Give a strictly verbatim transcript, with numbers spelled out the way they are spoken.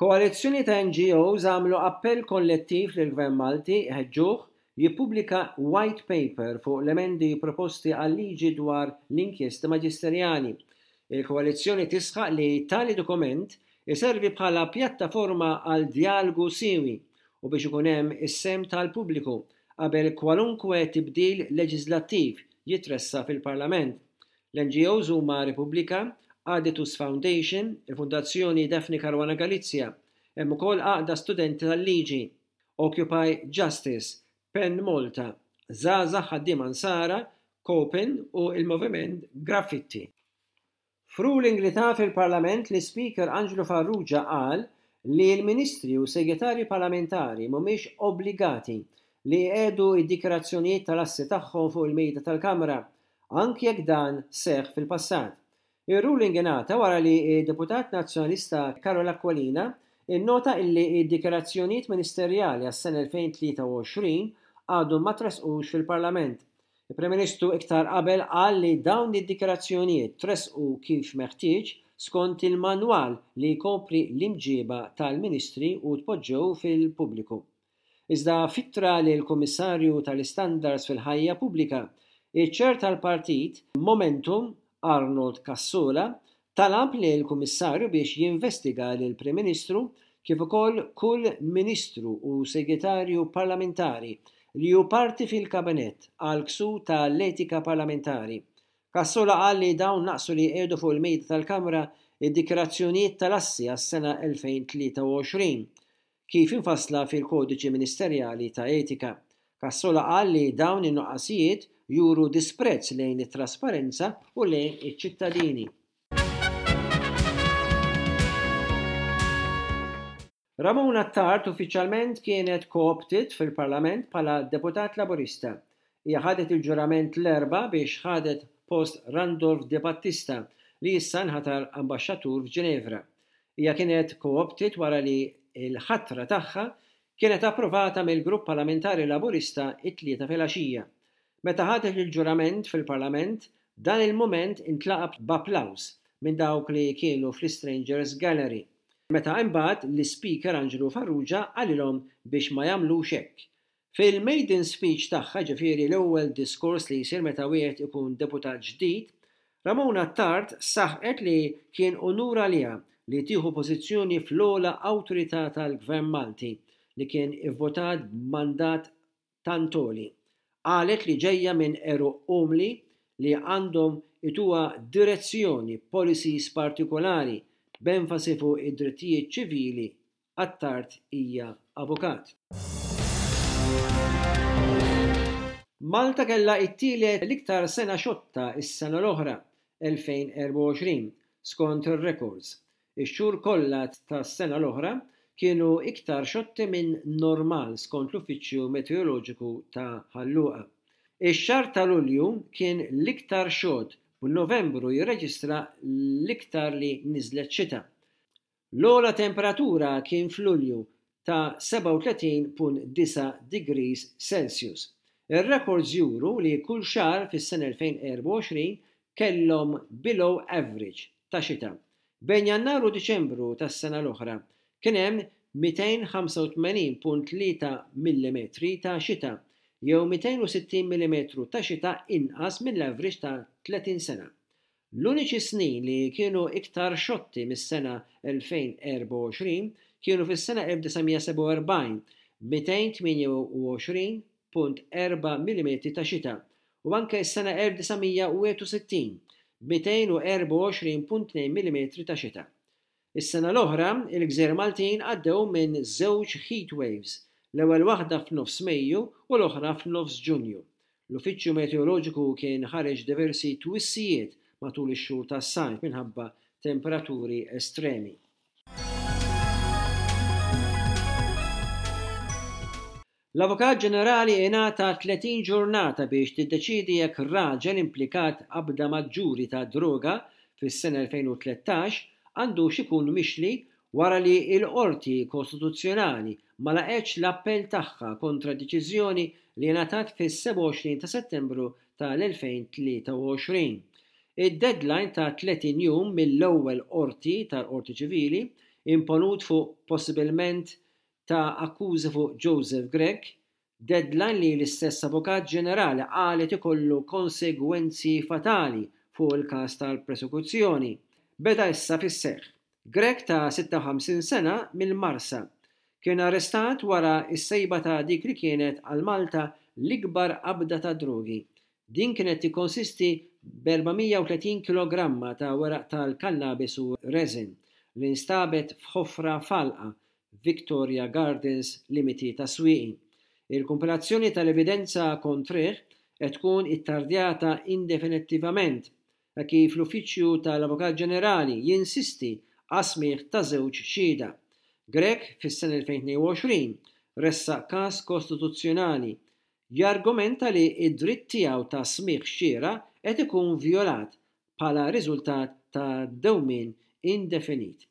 Koalizzjoni ta' N G Os għamlu appell kollettiv lill-Gvern Malti ħeġġuh jippubblika white paper fuq l-emendi proposti għal-liġi dwar l-inkjesti maġisterjali. Il-koalizzjoni tisħaq li tali dokument iservi bħala pjattaforma għal djalogu siewi u biex ikun hemm is-sehem tal-pubbliku qabel kwalunkwe tibdil leġislattiv jitressaq fil-Parlament. L-N G Os huma Repubblika, Aditus Foundation, il-Fondazzjoni Daphne Caruana Galizia, hemm ukoll Għaqda Studenti tal-Liġi, Occupy Justice, Pen Malta, Żgħażagħ Ħaddiema Nsara, Copen u il-Moviment Graffitti. F'ruling li ta fil-Parlament, l-Speaker Angelo Farrugia qal li l-Ministri u segretarji parlamentari mhumiex obbligati li jqiegħdu id-dikjarazzjonijiet tal-assi tagħhom fuq il-mejda tal-Kamra, anke jekk dan seħ fil-passat. Ir-ruling ingħata wara li d-deputat nazzjonalista Karol Aquilina innota illi id-dikjarazzjonijiet ministerjali għas-sena elfejn u tlieta u għoxrin għadhom ma tresqux fil-Parlament. Il-Prim Ministru iktar qabel qal li dawn id-dikjarazzjonijiet tresqu kif meħtieġ skont il-manwal li jkopri l-imġiba tal-Ministri u tpoġġew fil-pubbliku. Iżda f'ittra lill-Kummissarju tal-Istandards fil-Ħajja Pubblika, iċ-chair tal-partit Momentum Arnold Cassola talab lill-Kummissarju biex jinvestiga lill-Prim Ministru kif ukoll kull Ministru u Segretarju Parlamentari li hu parti fil-kabinett għal ksur tal-etika parlamentari. Cassola qal li dawn naqsu li jqiegħdu fuq il-mejda tal-Kamra id-dikjarazzjonijiet tal-assi għas-sena elfejn u tlieta u għoxrin kif infassla fil-kodiċi ministerjali ta' etika. Cassola qal li dawn in-nuqqasijiet juru disprezz lejn it-trasparenza u lejn iċ-ċittadini. Ramona Attard uffiċjalment kienet co-opted fil-Parlament bħala deputat Laburista. Hija ħadet il-ġurament l-Erbgħa biex ħadet post Randolph De Battista, li issa nħatar ambaxxatur f'Ġenevra. Hija kienet co-opted wara li l-ħatra tagħha kienet approvata mill-Grupp Parlamentari Laburista it-Tlieta filgħaxija. Meta ħadet il-ġurament fil-Parlament, dan il-moment intlaqa b'applaws minn dawk li kienu fl-Strangers Gallery, meta imbagħad l-Speaker Angelo Farrugia qalilhom biex ma jagħmlux hekk. Fil-maiden speech tagħha, ġifieri l-ewwel diskors li jsir meta wieħed ikun deputat ġdid, Ramona Attard saħqet li kien unur għaliha li tieħu pożizzjoni fl-ogħla awtorità tal-Gvern Malti li kien ivvotat b'mandat tant għoli. Qalet li ġejja minn għeruq umli li għandhom ituha direzzjoni, policies partikolari b'enfasi fuq id-drittijiet ċivili. Attard hija avukat. Malta kella it-tielet l-iktar sena xotta is-sena l-oħra, elfejn u erbgħa u għoxrin, skont ir-records. Ix-xhur kollha tas-sena l-oħra kienu iktar xotti minn normal skont l-Uffiċċju Meteoroloġiku ta' Ħal Luqa. Ix-xahar ta' Lulju kien l-iktar xott, b'Novembru jirreġistra l-iktar li niżlet xita. L-ogħla temperatura kien f'Lulju ta' sebgħa u tletin punt disgħa degrees Celsius. Ir-records juru li kull xahar fis-sena elfejn u erbgħa u għoxrin kellhom below average ta' xita. Bejn Jannar u Diċembru tas-sena l-oħra kien hemm mitejn u ħamsa u tmenin punt tlieta millimetri ta' xita jew mitejn u sittin millimetru ta' xita inqas mill-average ta' tletin sena. L-uniċi snin li kienu iktar xotti mis-sena elfejn u erbgħa u għoxrin kienu fis-sena elf disa' mija u sebgħa u erbgħin b' mitejn u tmienja u għoxrin punt erbgħa millimetri ta' xita u anke s-sena elf disa' mija u wieħed u sittin b' mitejn u erbgħa u għoxrin punt tnejn millimetri ta' xita. Is-sena l-oħra, il-Gżejjer Maltin għaddew minn żewġ heat waves, l-ewwel waħda f'nofs Mejju u l-oħra f'nofs Ġunju. L-Uffiċċju Meteoroloġiku kien ħareġ diversi twissijiet matul ix-xhur tas-sajf minħabba temperaturi estremi. L-Avukat Ġenerali ingħata tletin ġurnata biex tiddeċidi jekk raġel implikat qabda maġġuri ta' droga fis-sena elfejn u tlettax għandux ikun mixli wara li l-Qorti Kostituzzjonali ma laqgħetx l-appell tagħha kontra deċiżjoni li ngħatat fis-sebgħa u għoxrin ta' Settembru tal-elfejn u tlieta u għoxrin. Id-deadline ta' tletin jum mill-ewwel qorti tal-Qorti Ċivili imponut fuq possibilment ta' akkużi fuq Joseph Grech, deadline li l-istess Avukat Ġenerali qalet ikollu konsegwenzi fatali fuq il-każ tal-prosekuzzjoni, beda issa fis-seħħ. Grech ta' sitta u ħamsin sena mill-Marsa kien arrestat wara s-sejba ta' dik li kienet għal Malta l-ikbar qabda ta' drogi. Din kienet tikkonsisti b'erba' mija u tletin kilogramma ta' weraq tal-kannabis u resin li nstabet f'ħofra f'għalqa Victoria Gardens, limiti tas-Swieqi. Il-kumpilazzjoni tal-evidenza kontrih qed tkun ittardjata indefinittivament kif l-Uffiċċju tal-Avukat Ġenerali jinsisti għas-smigħ ta' żewġ xhieda. Grech fis-sena elfejn u tnejn u għoxrin ressaq każ kostituzzjonali jargumenta li id-dritt tiegħu ta' smigħ xieraq qed ikun vjolat bħala riżultat ta' dewmien indefinit.